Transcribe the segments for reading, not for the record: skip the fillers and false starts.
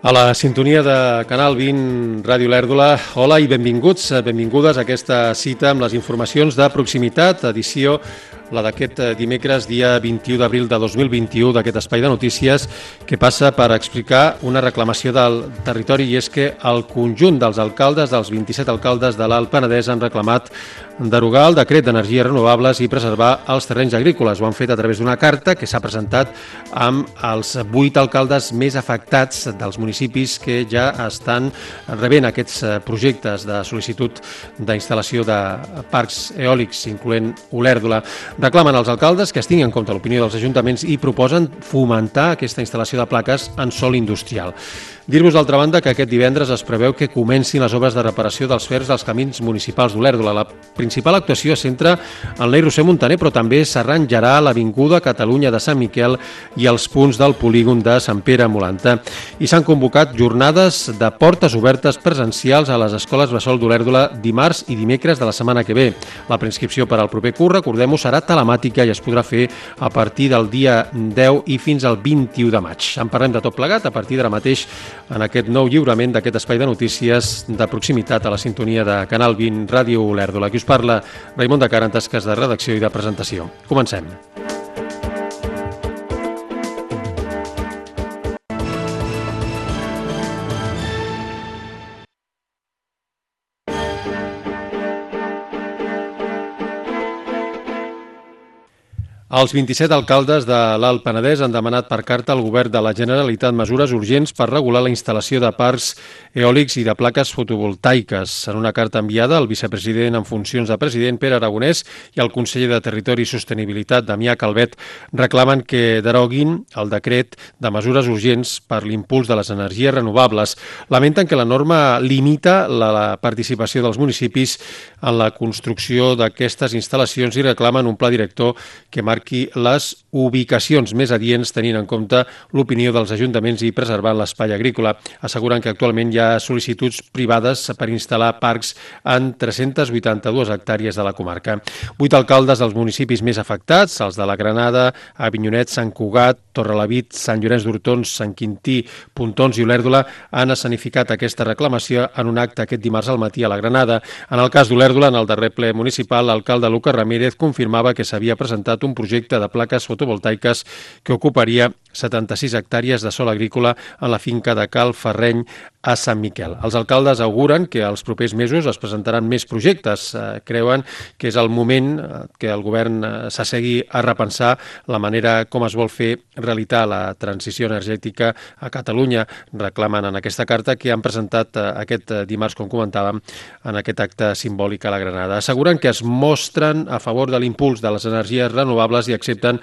A la sintonia de Canal 20, Ràdio Lèrdula, hola i benvinguts, benvingudes a aquesta cita amb les informacions de proximitat, edició la d'aquest dimecres, dia 21 d'abril de 2021, d'aquest espai de notícies que passa per explicar una reclamació del territori, i és que el conjunt dels alcaldes, dels 27 alcaldes de l'Alt Penedès, han reclamat derogar el decret d'energies renovables i preservar els terrenys agrícoles. Ho han fet a través d'una carta que s'ha presentat amb els 8 alcaldes més afectats dels municipis que ja estan rebent aquests projectes de sol·licitud d'instal·lació de parcs eòlics, incloent Olèrdola. Reclamen als alcaldes que es tingui en compte l'opinió dels ajuntaments i proposen fomentar aquesta instal·lació de plaques en sòl industrial. Dir-vos, d'altra banda, que aquest divendres es preveu que comencin les obres de reparació dels fers dels camins municipals d'Olèrdola. La principal actuació es centra en l'Eix Roser Muntaner, però també s'arranjarà l'Avinguda Catalunya de Sant Miquel i els punts del polígon de Sant Pere Molanta. I s'han convocat jornades de portes obertes presencials a les escoles bressol d'Olèrdola dimarts i dimecres de la setmana que ve. La preinscripció per al proper curs, recordem-ho, serà telemàtica i es podrà fer a partir del dia 10 i fins al 21 de maig. En parlem de tot plegat a partir d'ara mateix en aquest nou lliurament d'aquest espai de notícies de proximitat a la sintonia de Canal 20 Ràdio Lèrdula. Aquí us parla Raimon de Cara en tasques de redacció i de presentació. Comencem. Els 27 alcaldes de l'Alt Penedès han demanat per carta al govern de la Generalitat mesures urgents per regular la instal·lació de parcs eòlics i de plaques fotovoltaiques. En una carta enviada al vicepresident en funcions de president, Pere Aragonès, i al conseller de Territori i Sostenibilitat, Damià Calvet, reclamen que deroguin el decret de mesures urgents per l'impuls de les energies renovables. Lamenten que la norma limita la participació dels municipis en la construcció d'aquestes instal·lacions i reclamen un pla director que marqui les ubicacions més adients tenint en compte l'opinió dels ajuntaments i preservant l'espai agrícola. Asseguren que actualment hi ha sol·licituds privades per instal·lar parcs en 382 hectàrees de la comarca. 8 alcaldes dels municipis més afectats, els de la Granada, Avinyonet, Sant Cugat, Torrelavit, Sant Llorenç d'Hortons, Sant Quintí, Pontons i Olèrdola, han escenificat aquesta reclamació en un acte aquest dimarts al matí a la Granada. En el cas d'Olèrdola, en el darrer ple municipal, l'alcalde Lucas Ramírez confirmava que s'havia presentat un projecte de plaques fotovoltaiques que ocuparia 76 hectàrees de sòl agrícola en la finca de Cal Ferreny a Sant Miquel. Els alcaldes auguren que els propers mesos es presentaran més projectes. Creuen que és el moment que el govern s'assegui a repensar la manera com es vol fer realitat la transició energètica a Catalunya. Reclamen en aquesta carta que han presentat aquest dimarts, com comentàvem, en aquest acte simbòlic a la Granada. Asseguren que es mostren a favor de l'impuls de les energies renovables i accepten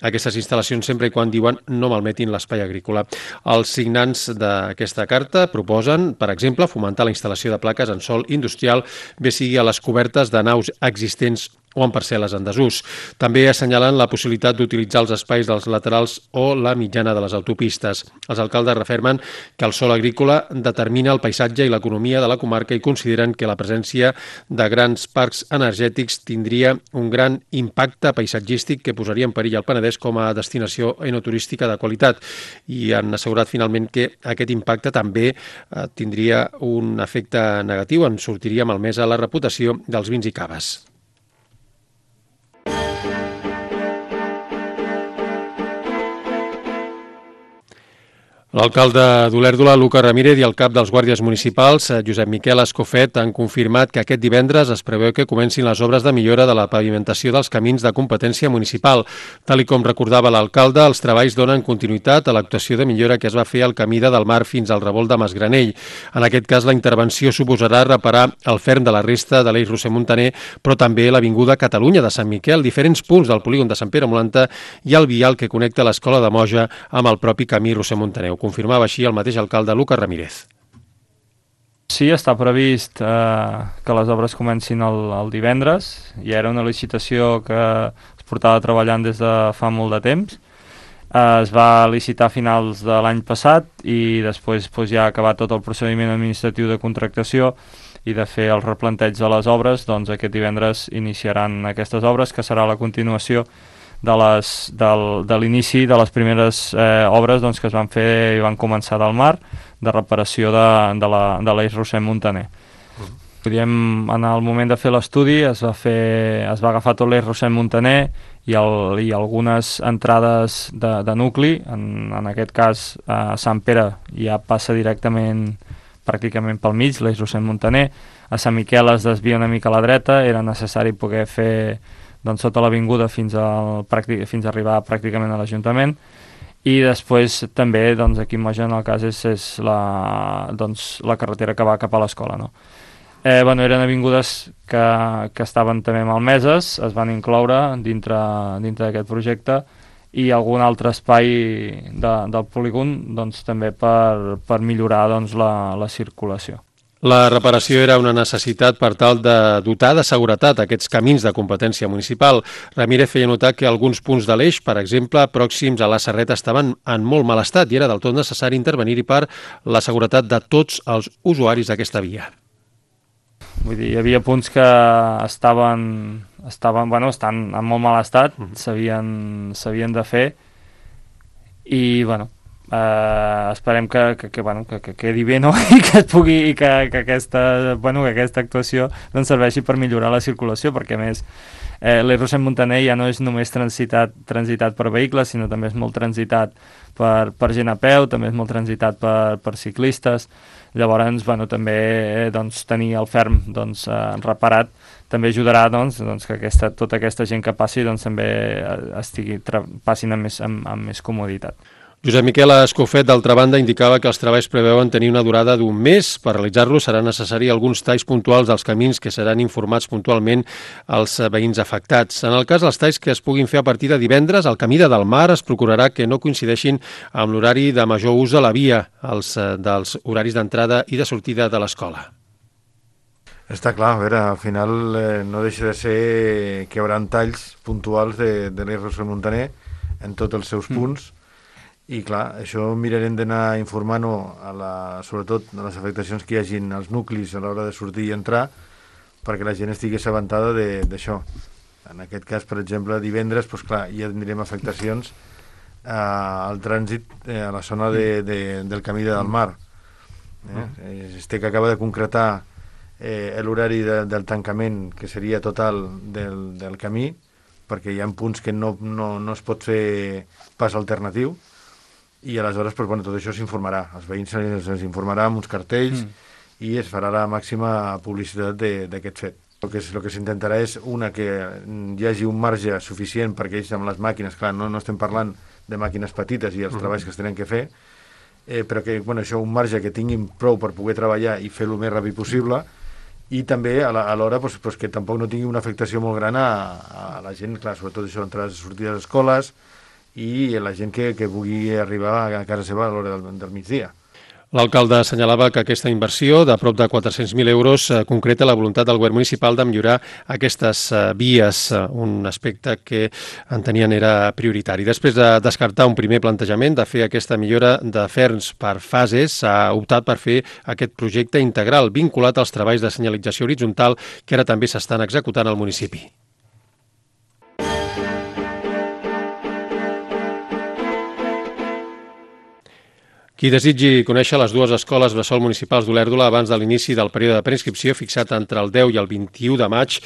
aquestes instal·lacions sempre i quan, diuen, no malmetin l'espai agrícola. Els signants d'aquesta carta proposen, per exemple, fomentar la instal·lació de plaques en sòl industrial, bé sigui a les cobertes de naus existents o en parcel·les en desús. També assenyalen la possibilitat d'utilitzar els espais dels laterals o la mitjana de les autopistes. Els alcaldes refermen que el sòl agrícola determina el paisatge i l'economia de la comarca i consideren que la presència de grans parcs energètics tindria un gran impacte paisatgístic que posaria en perill el Penedès com a destinació enoturística de qualitat, i han assegurat finalment que aquest impacte també tindria un efecte negatiu, en sortiria malmesa la reputació dels vins i caves. L'alcalde d'Olèrdola, Lucas Ramírez, i el cap dels guàrdies municipals, Josep Miquel Escofet, han confirmat que aquest divendres es preveu que comencin les obres de millora de la pavimentació dels camins de competència municipal. Tal com recordava l'alcalde, els treballs donen continuïtat a l'actuació de millora que es va fer al camí de Delmar fins al revolt de Masgranell. En aquest cas, la intervenció suposarà reparar el ferm de la resta de l'Eix Roser Muntaner, però també l'Avinguda Catalunya de Sant Miquel, diferents punts del polígon de Sant Pere Molanta i el vial que connecta l'Escola de Moja amb el propi camí Roser Muntaner. Confirmava així el mateix alcalde Lucas Ramírez. Sí, està previst que les obres comencin el divendres. Ja era una licitació que es portava treballant des de fa molt de temps. Es va licitar a finals de l'any passat i després ja ha acabat tot el procediment administratiu de contractació i de fer el replanteig de les obres. Doncs aquest divendres iniciaran aquestes obres, que serà la continuació de l'inici de les primeres obres doncs, que es van fer i van començar del mar, de reparació de l'eix Rossell-Montaner. En el moment de fer l'estudi es va agafar tot l'eix Rossell-Montaner i algunes entrades de nucli, en aquest cas a Sant Pere ja passa directament pràcticament pel mig, l'eix Rossell-Montaner, a Sant Miquel es desvia una mica a la dreta, era necessari poder fer doncs, tota l'avinguda fins a arribar pràcticament a l'Ajuntament, i després també doncs, aquí a Moja en el cas és la carretera que va cap a l'escola, no? Eren avingudes que estaven també malmeses, es van incloure dintre d'aquest projecte, i algun altre espai del polígon doncs, també per millorar doncs, la circulació. La reparació era una necessitat per tal de dotar de seguretat aquests camins de competència municipal. Ramírez feia notar que alguns punts de l'eix, per exemple, pròxims a la Serreta, estaven en molt mal estat i era del tot necessari intervenir-hi per la seguretat de tots els usuaris d'aquesta via. Vull dir, hi havia punts que estan en molt mal estat, s'havien de fer, i esperem que quedi bé, no? I que aquesta actuació doncs, serveixi per millorar la circulació, perquè a més l'eix Rossell-Montaner ja no és només transitat per vehicles, sinó també és molt transitat per gent a peu, també és molt transitat per ciclistes. Llavors, també tenir el ferm reparat també ajudarà que tota aquesta gent que passi també passin amb més comoditat. Josep Miquel Escofet, d'altra banda, indicava que els treballs preveuen tenir una durada d'un mes. Per realitzar-los serà necessari alguns talls puntuals dels camins que seran informats puntualment als veïns afectats. En el cas dels talls que es puguin fer a partir de divendres, el camí de Delmar es procurarà que no coincideixin amb l'horari de major ús de la via, dels horaris d'entrada i de sortida de l'escola. Està clar, a veure, al final no deixa de ser que hi haurà talls puntuals de l'eix Rossell-Montaner en tots els seus punts, i clar, això mirarem d'anar informant-ho sobretot a les afectacions que hi hagin als nuclis a l'hora de sortir i entrar, perquè la gent estigui assabentada d'això. En aquest cas, per exemple, divendres, doncs clar, ja tindrem afectacions al trànsit a la zona del camí de Delmar. Que acaba de concretar l'horari del tancament, que seria total del camí, perquè hi ha punts que no es pot fer pas alternatiu, i aleshores tot això s'informarà. Els veïns se'ls informarà amb uns cartells i es farà la màxima publicitat d'aquest fet. El que s'intentarà és, que hi hagi un marge suficient perquè ells amb les màquines, clar, no estem parlant de màquines petites i els treballs que es tenen que fer, però que això, un marge que tinguin prou per poder treballar i fer-lo més ràpid possible, i també alhora que tampoc no tingui una afectació molt gran a la gent, clar, sobretot això, entrades i sortides d'escoles, i la gent que vulgui arribar a casa seva a l'hora del migdia. L'alcalde assenyalava que aquesta inversió de prop de 400.000 euros concreta la voluntat del govern municipal de millorar aquestes vies, un aspecte que entenien era prioritari. Després de descartar un primer plantejament de fer aquesta millora de ferms per fases, s'ha optat per fer aquest projecte integral vinculat als treballs de senyalització horitzontal que ara també s'estan executant al municipi. Qui desitgi conèixer les dues escoles bressol municipals d'Olèrdola abans de l'inici del període de preinscripció fixat entre el 10 i el 21 de maig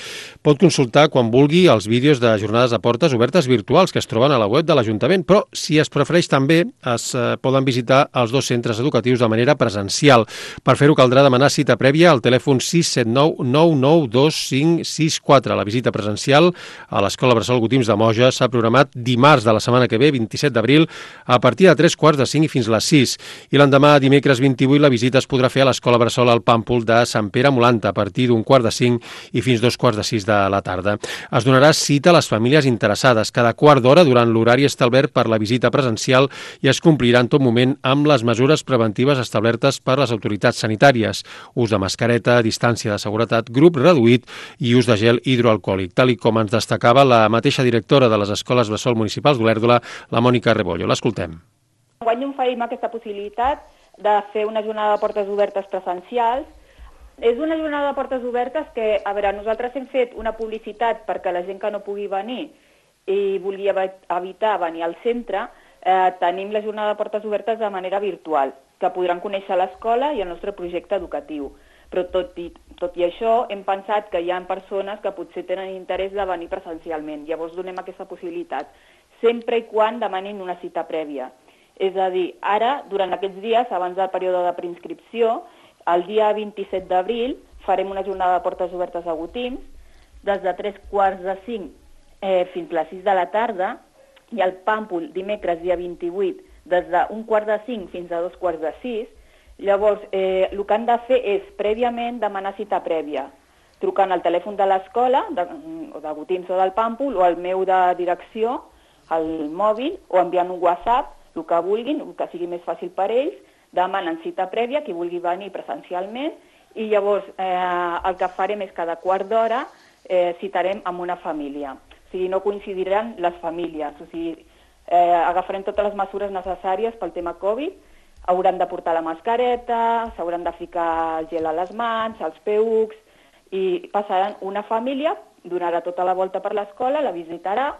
pot consultar quan vulgui els vídeos de jornades de portes obertes virtuals que es troben a la web de l'Ajuntament, però si es prefereix també es poden visitar els dos centres educatius de manera presencial. Per fer-ho caldrà demanar cita prèvia al telèfon 679 992564. La visita presencial a l'Escola Bressol Gotims de Moja s'ha programat dimarts de la setmana que ve, 27 d'abril, a partir de 3:45 i fins les 6. I l'endemà, dimecres 28, la visita es podrà fer a l'Escola Bressol al Pàmpol de Sant Pere Molanta a partir d'1:45 i fins 2:45 de la tarda. Es donarà cita a les famílies interessades cada quart d'hora durant l'horari establert per la visita presencial i es complirà en tot moment amb les mesures preventives establertes per les autoritats sanitàries, ús de mascareta, distància de seguretat, grup reduït i ús de gel hidroalcohòlic, tal com ens destacava la mateixa directora de les Escoles Bressol Municipals d'Olèrdola, la Mònica Rebollo. L'escoltem. Enguany oferim aquesta possibilitat de fer una jornada de portes obertes presencials. És una jornada de portes obertes que, a veure, nosaltres hem fet una publicitat perquè la gent que no pugui venir i volia evitar venir al centre, tenim la jornada de portes obertes de manera virtual, que podran conèixer l'escola i el nostre projecte educatiu. Però tot i això, hem pensat que hi ha persones que potser tenen interès de venir presencialment. Llavors donem aquesta possibilitat, sempre i quan demanin una cita prèvia. És a dir, ara, durant aquests dies, abans del període de preinscripció, el dia 27 d'abril farem una jornada de portes obertes a Gotims, des de 3:45 fins a les 6 de la tarda, i al Pàmpol, dimecres, dia 28, des de 1:45 fins a 2:45. Llavors, el que han de fer és, prèviament, demanar cita prèvia, trucant al telèfon de l'escola, de Gotims o del Pàmpol, o al meu de direcció, al mòbil, o enviant un WhatsApp, el que vulguin, el que sigui més fàcil per ells, demanen cita prèvia, qui vulgui venir presencialment, i llavors el que farem és cada quart d'hora citarem amb una família. O sigui, no coincidiran les famílies, o sigui, agafarem totes les mesures necessàries pel tema Covid, hauran de portar la mascareta, s'hauran de ficar el gel a les mans, els PUCs, i passaran una família, donarà tota la volta per l'escola, la visitarà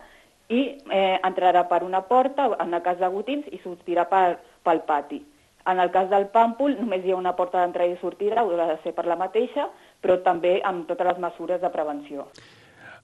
i entrarà per una porta, en el cas de Gotims, i sortirà pel pati. En el cas del Pàmpol només hi ha una porta d'entrada i sortida, haurà de ser per la mateixa, però també amb totes les mesures de prevenció.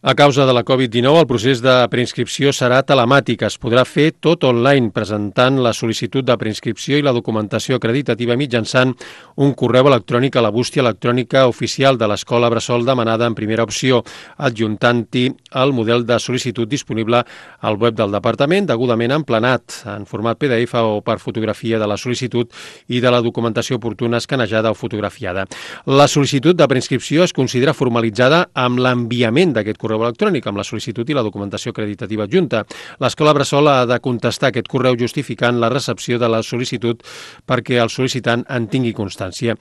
A causa de la Covid-19, el procés de preinscripció serà telemàtic. Es podrà fer tot online, presentant la sol·licitud de preinscripció i la documentació acreditativa mitjançant un correu electrònic a la bústia electrònica oficial de l'Escola Bressol demanada en primera opció, adjuntant-hi el model de sol·licitud disponible al web del Departament, degudament emplenat en format PDF o per fotografia de la sol·licitud i de la documentació oportuna escanejada o fotografiada. La sol·licitud de preinscripció es considera formalitzada amb l'enviament d'aquest correu electrònic amb la sol·licitud i la documentació acreditativa adjunta. L'Escola Bressol ha de contestar aquest correu justificant la recepció de la sol·licitud perquè el sol·licitant en tingui constància.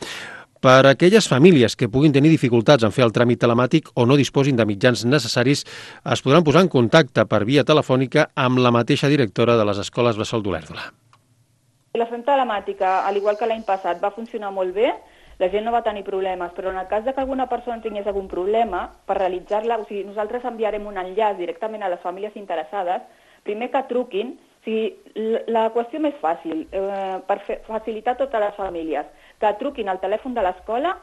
Per a aquelles famílies que puguin tenir dificultats en fer el tràmit telemàtic o no disposin de mitjans necessaris, es podran posar en contacte per via telefònica amb la mateixa directora de les escoles Bressol d'Olèrdola. La fem telemàtica, al igual que l'any passat, va funcionar molt bé. La gent no va tenir problemes, però en el cas que alguna persona tingués algun problema, per realitzar-la, o sigui, nosaltres enviarem un enllaç directament a les famílies interessades, primer que truquin, o sigui, la qüestió més fàcil, per facilitar totes les famílies, que truquin al telèfon de l'escola,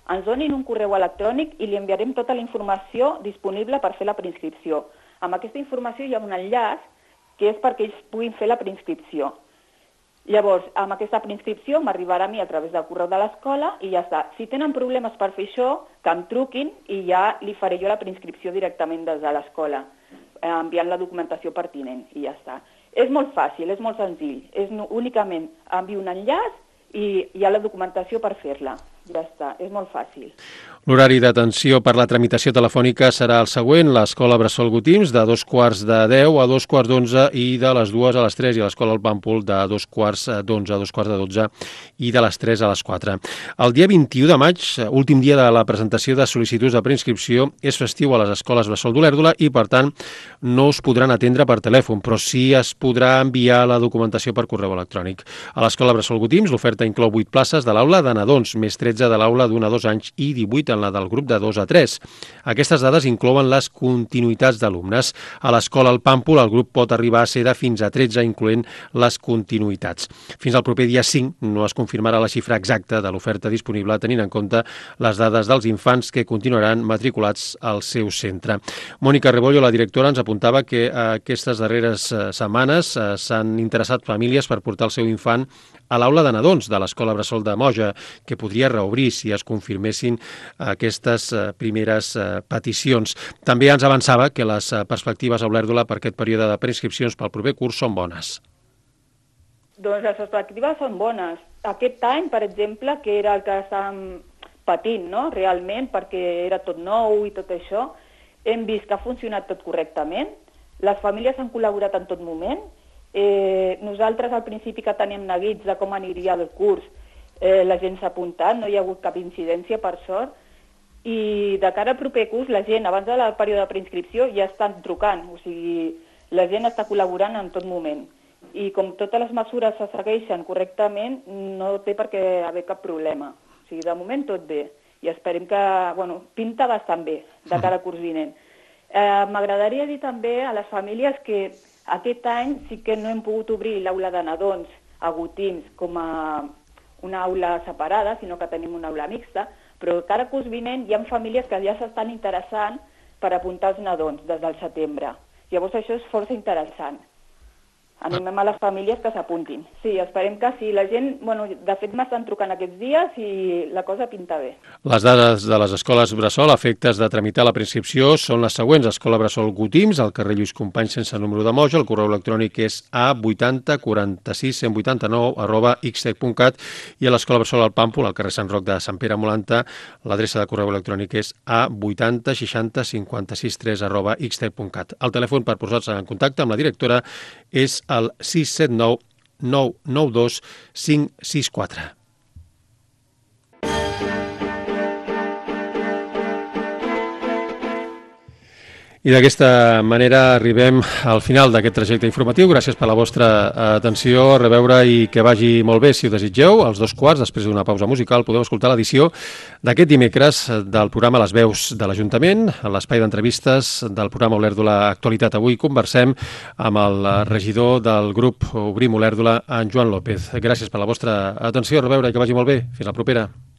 ens donin un correu electrònic i li enviarem tota la informació disponible per fer la preinscripció. Amb aquesta informació hi ha un enllaç que és perquè ells puguin fer la preinscripció. Llavors, amb aquesta preinscripció m'arribarà a mi a través del correu de l'escola i ja està. Si tenen problemes per fer això, que em truquin i ja li faré jo la preinscripció directament des de l'escola, enviant la documentació pertinent i ja està. És molt fàcil, és molt senzill. Únicament envio un enllaç i hi ha la documentació per fer-la. Ja està, és molt fàcil. L'horari d'atenció per la tramitació telefònica serà el següent: l'Escola Bressol Gotims de 9:45 a 11:45 i de les 2 a les 3, i l'Escola El Pàmpol de 11:45 a 11:45 i de les 3 a les 4. El dia 21 de maig, últim dia de la presentació de sol·licituds de preinscripció, és festiu a les escoles Bressol d'Olèrdola i, per tant, no us podran atendre per telèfon, però sí es podrà enviar la documentació per correu electrònic. A l'Escola Bressol Gotims l'oferta inclou 8 places de l'aula de nadons, més 13 de l'aula d'1 a 2 anys i 18 en la del grup de 2 a 3. Aquestes dades inclouen les continuïtats d'alumnes. A l'Escola El Pàmpol el grup pot arribar a ser de fins a 13, incloent les continuïtats. Fins al proper dia 5 no es confirmarà la xifra exacta de l'oferta disponible, tenint en compte les dades dels infants que continuaran matriculats al seu centre. Mònica Rebollo, la directora, ens apuntava que aquestes darreres setmanes s'han interessat famílies per portar el seu infant a l'aula de nadons de l'Escola Bressol de Moja, que podria reobrir si es confirmessin aquestes primeres peticions. També ens avançava que les perspectives a Olèrdola per aquest període de preinscripcions pel proper curs són bones. Doncs les perspectives són bones. Aquest any, per exemple, que era el que estàvem patint, no?, realment, perquè era tot nou i tot això, hem vist que ha funcionat tot correctament, les famílies han col·laborat en tot moment. Nosaltres al principi que teníem neguits de com aniria el curs, la gent s'ha apuntat, no hi ha hagut cap incidència, per sort, i de cara al proper curs la gent, abans del període de preinscripció, ja estan trucant, o sigui, la gent està col·laborant en tot moment. I com totes les mesures se segueixen correctament, no té per què haver cap problema. O sigui, de moment tot bé, i esperem que, bueno, pinta bastant bé de cara al curs vinent. M'agradaria dir també a les famílies que aquest any sí que no hem pogut obrir l'aula de nadons a Gotims com a una aula separada, sinó que tenim una aula mixta, però cada curs vinent hi ha famílies que ja s'estan interessant per apuntar els nadons des del setembre. Llavors això és força interessant. Animem a les famílies que s'apuntin. Sí, esperem que sí. La gent, de fet m'estan trucant aquests dies i la cosa pinta bé. Les dades de les escoles Bressol a efectes de tramitar la preinscripció són les següents. Escola Bressol Gotims, al carrer Lluís Companys sense número de moja, el correu electrònic és a8046-189@xtec.cat i a l'Escola Bressol al Pàmpol, al carrer Sant Roc de Sant Pere Molanta, l'adreça de correu electrònic és a806056.3@xtec.cat. El telèfon per posar-se en contacte amb la directora és el 679 992 564. I d'aquesta manera arribem al final d'aquest trajecte informatiu. Gràcies per la vostra atenció, a reveure i que vagi molt bé. Si ho desitgeu, als 2:15, després d'una pausa musical, podeu escoltar l'edició d'aquest dimecres del programa Les Veus de l'Ajuntament, a l'espai d'entrevistes del programa Olèrdola Actualitat. Avui conversem amb el regidor del grup Obrim Olèrdola, en Joan López. Gràcies per la vostra atenció, a reveure i que vagi molt bé. Fins la propera.